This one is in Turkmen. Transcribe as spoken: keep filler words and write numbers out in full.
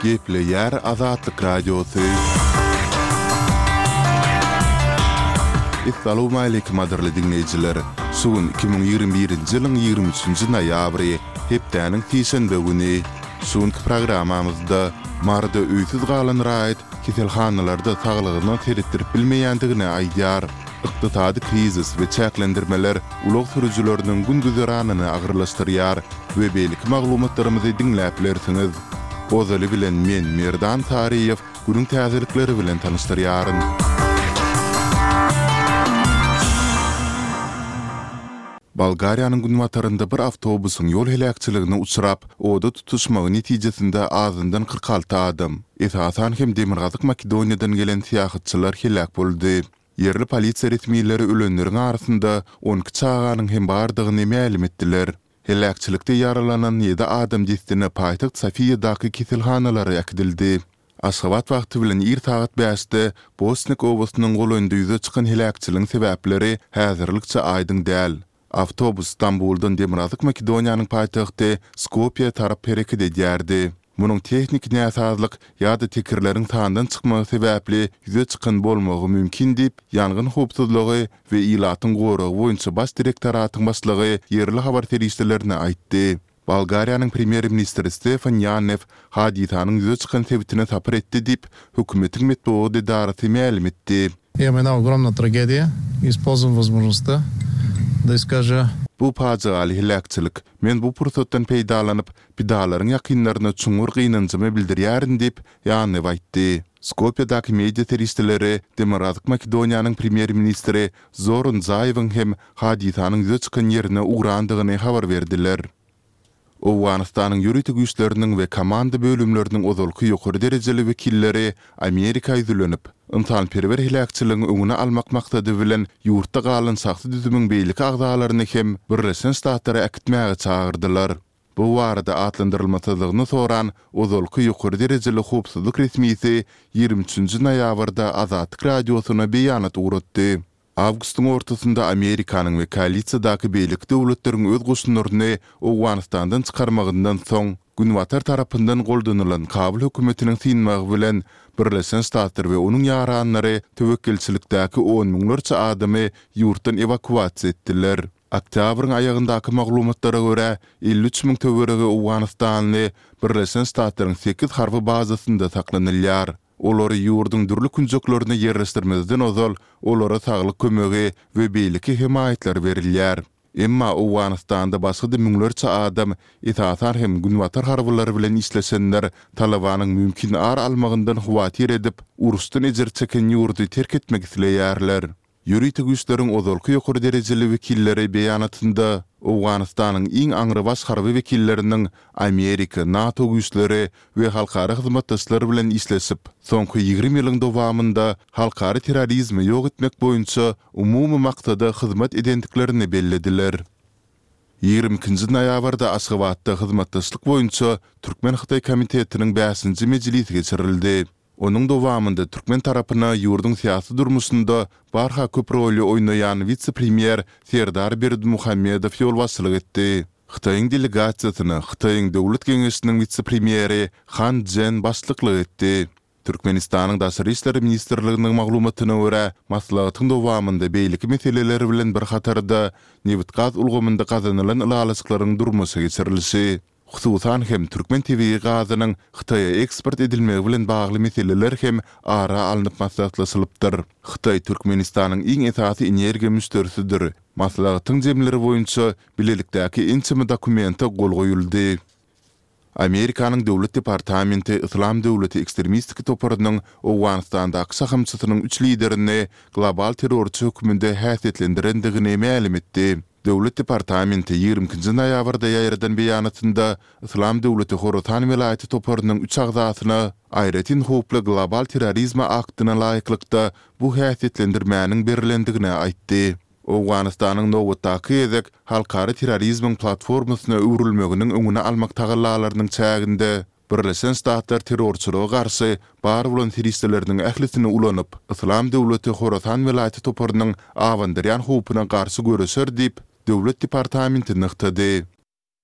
Gepleýär Azatlyk Radiosy. Essalawmaleýkim gadyrly diňleýjiler! Şu gün iki müň ýigrimi birinji ýylyň ýigrimi üçünji noýabry, hepdäniň sişenbe güni. Şu günki programmamyzda Maryda öýsüz galan raýat keselhanalarda saglygyna seretdirip bilmeýändigini aýdýar. Ykdysady krizis we çäklendirmeler ulag sürüjileriniň gün-güzeranyny agyrlaşdyrýar we beýleki maglumatlarymyzy diňläp bilersiňiz. Ozaly bilen men, Merdan Saryýew, günüň täzelikleri bilen tanyşdyrýaryn. Bolgariýanyň günbatarynda bir awtobusyň ýol heläkçiligine uçrap, oda tutuşmagy netijesinde azyndan kyrk alty adam, esasan hem Demirgazyk Makedoniýadan gelen syýahatçylar heläk boldy. Ýerli polisiýa resmileri ölenleriň arasynda on iki çaganyň hem bardygyny mälim etdiler. Heläkçilikde ýaralanan ýedi adam dessine paýtagt Sofiýadaky keselhanalara äkidildi. Aşgabat wagty bilen ir sagat bäşde Bosnik obasynyň golaýynda ýüze çykan heläkçiligiň sebäpleri häzirlikçe aýdyň däl. Awtobus Stambuldan Demirgazyk Makedoniýanyň paýtagty Skopýä tarap hereket edýärdi. Munuň tehniki näsazlyk ýa-da tekerleriň sandan çykmagy sebäpli ýüze çykan bolmagy mümkin diýip, Ýangyn howpsuzlygy we ilatyň goragy boýunça baş direktoratyň başlygy ýerli habar serişdelerine aýtdy. Bolgariýanyň premýer-ministri Stefan Ýanew hadysanyň ýüze çykan sebitine sapar etdi diýip, hökümetiň metbugat edarasy mälim etdi. Imamo jedna ogromna tragedija i ispolizwam wozmožnostda da iskaža. Bu pajygaly heläkçilik. Men bu pursatdan peýdalanyp, pidalaryň ýakynlaryna çuňňur gynanjymy bildirýärin diýip, Ýanew aýtdy. Skopýadaky media serişdeleri Demirgazyk Makedoniýanyň premýer-ministri Zoran Zaýewiň hem hadysanyň ýüze çykan ýerine ugrandygyny habar berdiler. Owganystanyň ýörite güýçleriniň we komanda bölümleriniň ozalky ýokary derejeli wekilleri Amerika ýüzlenip, ynsanperwer heläkçiligiň öňüni almak maksady bilen ýurtda galan şahsy düzümiň beýleki agzalaryny hem Birleşen Ştatlara äkitmäge çagyrdylar. Bu barada atlandyrylmasyzlygyny soran ozalky ýokary derejeli howpsuzlyk resmisi ýigrimi üçünji noýabrda Azatlyk Radiosyna beýanat ugratdy. Awgustyň ortasynda Amerikanyň we koalisiýadaky beýleki döwletleriň öz goşunlaryny Owganystandan çykarmagyndan soň, Günbatar tarapyndan goldanylan Kabul hökümetiniň synmagy bilen, Birleşen Ştatlar we onuň ýaranlary töwekgelçilikdäki on müňlerçe adamy ýurtdan ewakuasiýa etdiler. Oktýabryň aýagyndaky maglumatlara görä, elli üç müň töweregi owganystanly Birleşen Ştatlaryň sekiz harby bazasynda saklanylýar. Olary ýurduň dürli künjeklerine ýerleşdirmezden ozal, olara saglyk kömegi we beýleki hemaýatlar berilýär. Emma Owganystanda başga-da müňlerçe adam, esasan hem günbatar harbylary bilen işleşenler Talybanyň mümkin ar almagyndan howatyr edip, uruşdan ejir çeken ýurdy terk etmek isleýärler. Ýörite güýçleriň ozalky ýokary derejeli wekilleri beýanatynda Owganystanyň iň aňrybaş harby wekilleriniň Amerika, NATO güýçleri we halkara hyzmatdaşlar bilen işleşip, soňky ýigrimi ýylyň dowamynda halkara terrorizmi ýok etmek boýunça umumy maksada hyzmat edendiklerini bellediler. Ýigrimi ikinji noýabrda Aşgabatda hyzmatdaşlyk boýunça Türkmen-hytaý komitetiniň bäşinji mejlisi geçirildi. Onuň dowamynda türkmen tarapyna ýurduň syýasy durmuşynda barha köp roly oýnaýan wise-premýer Serdar Berdimuhamedow ýolbaşçylyk etdi. Hytaýyň delegasiýasyna Hytaýyň Döwlet geňeşiniň wise-premýeri Han Çžen başlyklyk etdi. Türkmenistanyň Daşary işler ministrliginiň maglumatyna görä, maslahatyň dowamynda beýleki meseleler bilen bir hatarda, nebitgaz ulgamynda gazanylan ylalaşyklaryň durmuşa geçirilişi, Hususan hem, türkmen tebigy gazynyň Hytaýa eksport edilmegi bilen bagly meseleler hem ara alnyp maslahatlaşylypdyr. Hytaý Türkmenistanyň iň esasy energiýa müşderisidir. Maslahatyň jemleri boýunça bilelikdäki ençeme dokumente gol goýuldy. Amerikanyň Döwlet departamenti Yslam döwleti ekstremistik toparynyň Owganystandaky şahamçasynyň üç liderini global terrorçy hökmünde häsiýetlendirendigini mälim etdi. Döwlet departamenti ýigrimi ikinji noýabrda ýaýradan beýanatynda Yslam döwleti Horasan welaýaty toparynyň üç agzasyna aýratyn howply global terrorizme aktyna laýyklykda bu häsiýetlendirmäniň berlendigini aýtdy. Owganystanyň nobatdaky gezek halkara terrorizmiň platformasyna öwrülmeginiň öňüni almak tagallalarynyň çäginde Birleşen Ştatlar terrorçylyga garşy bar bolan serişdeleriniň ählisini ulanyp, Yslam döwleti Horasan welaýaty toparynyň abandyrýan howpuna garşy göreşer diýip, Döwlet departamenti nygtady.